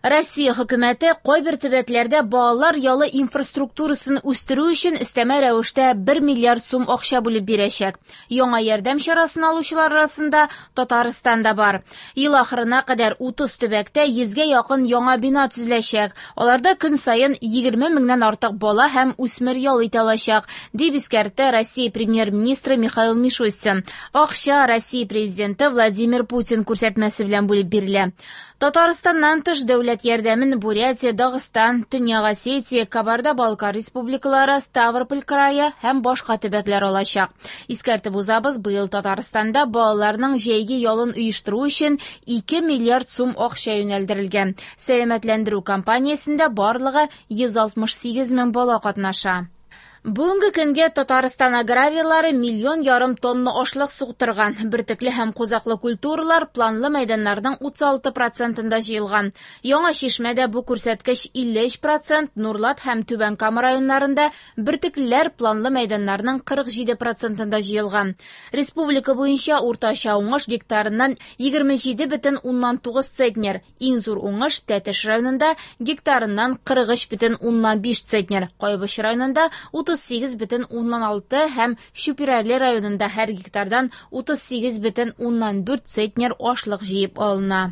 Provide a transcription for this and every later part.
Россия хөкүмәте кайбер төбәкләрдә балалар ялы инфраструктурасын үстерү өчен өстәмә рәвештә 1 миллиард сум акча бүлеп бирәчәк. Яңа ярдәм чарасын алучылар арасында Татарстан да бар. Ел ахырына кадәр 30 төбәктә 100гә якын яңа бина төзеләчәк. Аларда көн саен 20 меңнән артык бала һәм үсмер ял итә алачак, дип искәртте Россия премьер-министры Михаил Мишустин. Акча Россия президенты Владимир Путин күрсәтмәсе белән бүлеп бирелә. Татарстаннан тыш дәүләт ярдәмен Бурятия, Дагыстан, Төньяк Осетия, Кабарда-Балкар республикалары, Ставрополь крае һәм башка төбәкләр алачак. Искәртеп узабыз, быел Татарстанда балаларның җәйге ялын оештыру өчен 2 миллиард сум акча юнәлдерелгән. Сәламәтләндерү кампаниясендә барлыгы 168 мең бала катнаша. Бүгенге көнгә Татарстан аграрийлары миллион ярым тонна ашлык суктырган. Бөртекле һәм кузаклы культуралар планлы мәйданнарның 36 процентында җыелган. Яңа Чишмәдә бу күрсәткеч 53 процент, Нурлат һәм Түбән Кама районнарында бөртеклеләр планлы мәйданнарның 47 процентында җыелган. Республика буенча уртача уңыш гектарыннан 27,9 центнер. Иң зур уңыш Тәтеш районында гектарыннан 43,5 центнер, Кайбыч районында 38,6 һәм Чүпрәле районында һәр гектардан 38,4 центнер ашлык җыеп алына.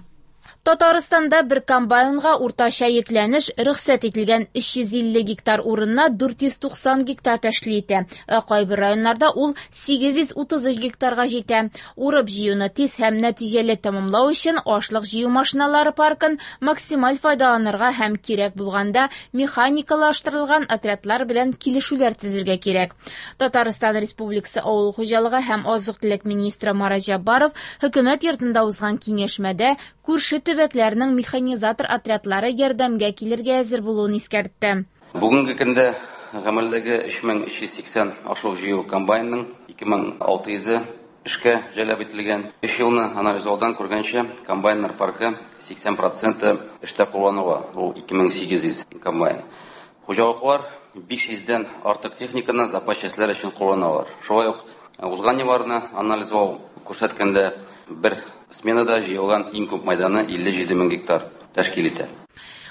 Татарстанда бер комбайнга уртача йөкләнеш рөхсәт ителгән 350 гектар урынына 490 гектар тәшкил итә. Ә кайбер районнарда ул 833 гектарга җитә. Урып җыюны тиз һәм нәтиҗәле тәмамлау өчен ашлык җыю машиналары паркын максималь файдаланырга һәм кирәк булганда механикалаштырылган отрядлар белән килешүләр төзергә кирәк. Татарстан Республикасы Авыл хуҗалыгы һәм азык-төлек министры Марат Җәббаров хөкүмәт йортында узган киңәшмәдә күрше төбәкләрнең механизатор отрядлары ярдәмгә килергә әзер булуын искәртте. Бүгенге көндә гамәлдәге 3380 ашлык җыю комбайнының 2600-е эшкә җәлеп ителгән. Өч елны анализлаудан күргәнчә, комбайннар паркы 80% эштә кулланыла, ул 2800 комбайн. Хуҗалыклар 500-дән артык техниканы запас частьләр өчен кулланалар. Шулай ук узган елларны анализлау күрсәткәндә бер сменада җыелган иң күп мәйданы 57 мең гектар тәшкил итә.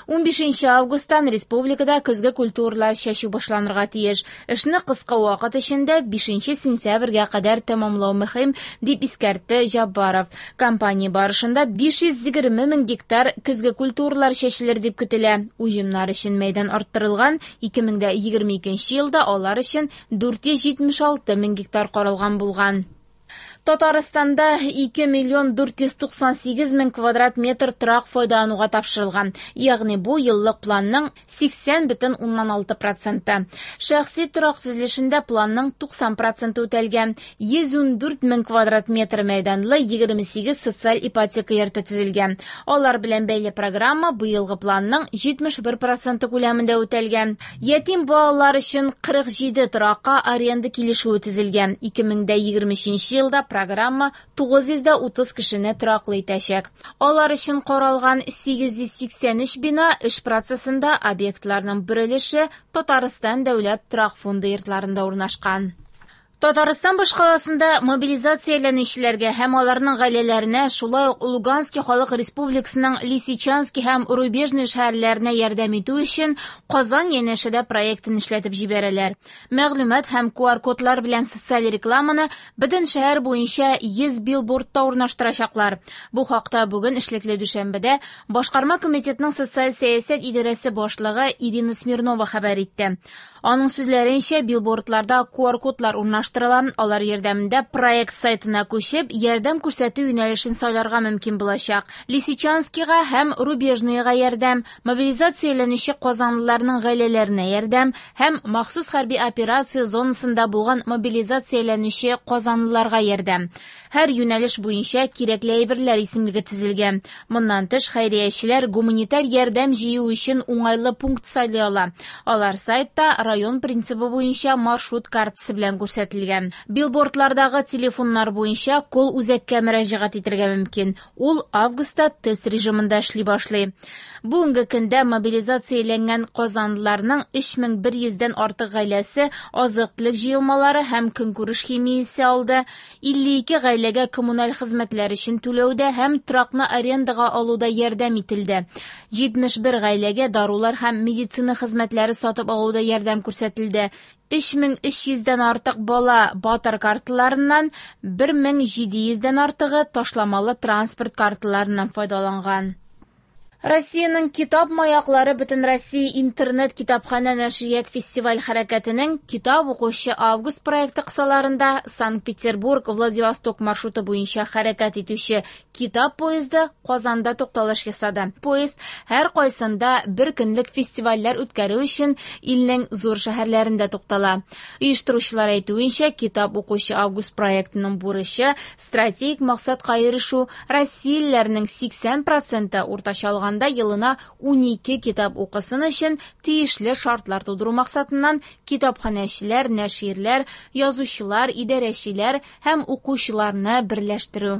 15 августтан республикада көзге культуралар чәчү башланырга тиеш. Эшне кыска вакыт эчендә 5 сентябрьгә кадәр тәмамлау мөһим, дип искәртте Җаббаров. Кампания барышында 520 мең гектар көзге культуралар чәчелер дип көтелә. Уҗымнар өчен мәйдан арттырылган, 2022 елда алар өчен 476 мең гектар каралган булган. Татарстанда 2 миллион 498 мең квадрат метр торак файдалануга тапшырылган. Ягъни бу еллык планның 80,6 проценты. Шәхси торак төзелешендә планның 90 проценты үтәлгән. 114 мең квадрат метр мәйданлы 28 социаль ипотека йорты төзелгән. Алар белән бәйле программа быелгы планның 71 проценты күләмендә үтәлгән. Ятим балалар өчен 47 торакка аренда килешүе төзелгән. 2023 елда программа 930 кешене тораклы итәчәк. Алар өчен каралган 883 бина эш процессында объектларның бер өлеше Татарстан дәүләт торак фонды йортларында урнашкан. Татарстан башкаласында мобилизацияләнүчеләргә һәм аларның гаиләләренә, шулай ук Луганский халык республикасының Лисичанский һәм Рубежный шәһәрләренә ярдәм итү өчен Казан янәшәдә проектын эшләтеп җибәрәләр. Мәгълүмат һәм QR-кодлар белән социаль рекламаны бөтен шәһәр буенча 100 билбордта урнаштырачаклар. Бу хакта бүген эшлекле дүшәмбедә Башкарма комитетның социаль сәясәт идарәсе башлыгы Ирина Смирнова хәбәр итте. Аның сүзләренчә, билбордларда QR-кодлар урнаштырыла. Алар ярдәмендә проект сайтына күчеп, ярдәм күрсәтү юнәлешен сайларга мөмкин булачак. Лисичанскийга һәм Рубежныйга ярдәм, мобилизацияләнүче казанлыларның гаиләләренә ярдәм һәм махсус хәрби операция зонасында булган мобилизацияләнүче казанлыларга ярдәм. Һәр юнәлеш буенча кирәкле әйберләр исемлеге төзелгән. Моннан тыш, хәйриячеләр гуманитар ярдәм җыю өчен уңайлы пункт сайлый ала. Алар сайтта район принцибы буенча маршрут картасы белән күрсәтелә. ителгән. Билбордлардагы телефоннар буенча колл-үзәккә мөрәҗәгать итәргә мөмкин. Ул августта тест режимында эшли башлый. Бүгенге көндә мобилизацияләнгән казанлыларның 3100 дән артык гаиләсе азык-төлек җыелмалары һәм көнкүреш химиясе алды. 52 гаиләгә коммуналь хезмәтләр өчен түләүдә һәм торакны арендага алуда ярдәм ителде. 71 гаиләгә дарулар һәм медицина хезмәтләре сатып алуда ярдәм күрсәтелде. 3300 дән артык бала батыр карталарыннан, 1700 дән артыгы ташламалы транспорт карталарыннан файдаланган. Россиянең китап маяклары Бөтенроссия интернет китапханә нәшрият фестиваль хәрәкәтенең Китап укучы август проекты кысаларында Санкт-Петербург Владивосток маршруты буенча хәрәкәт итүче китап поезды Казанда тукталыш ясады. Поезд һәр кайсында бер көнлек фестивальләр үткәрү өчен илнең зур шәһәрләрендә туктала. Оештыручылар әйтүенчә, Китап укучы август проектының бурычы стратегик максатка ирешү, россиялеләрнең 80 проценты уртача алганда елына 12 китап укысын өчен тиешле шартлар тудыру максатыннан китапханәчеләр, нәширләр, язучылар, идарәчеләр һәм укучыларны берләштерү.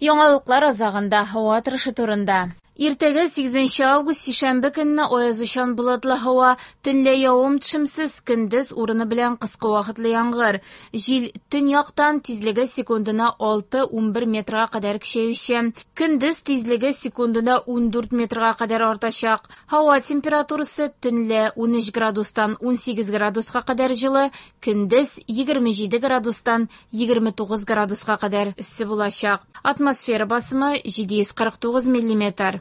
Яңалыклар азагында һава торышы турында. Иртәгә 8 август сишәмбе көнне аязучан болытлы һава, төнлә явым-төшемсез, көндез урыны белән кыска вакытлы яңгыр. Җил төньяктан тизлеге секундына 6-11 метрга кадәр көчәюче. Көндез тизлеге секундына 14 метрга кадәр артачак. Һава температурасы төнлә 13 градустан 18 градуска кадәр җылы, көндез 27 градустан 29 градуска кадәр эссе булачак. Атмосфера басымы 749 миллиметр.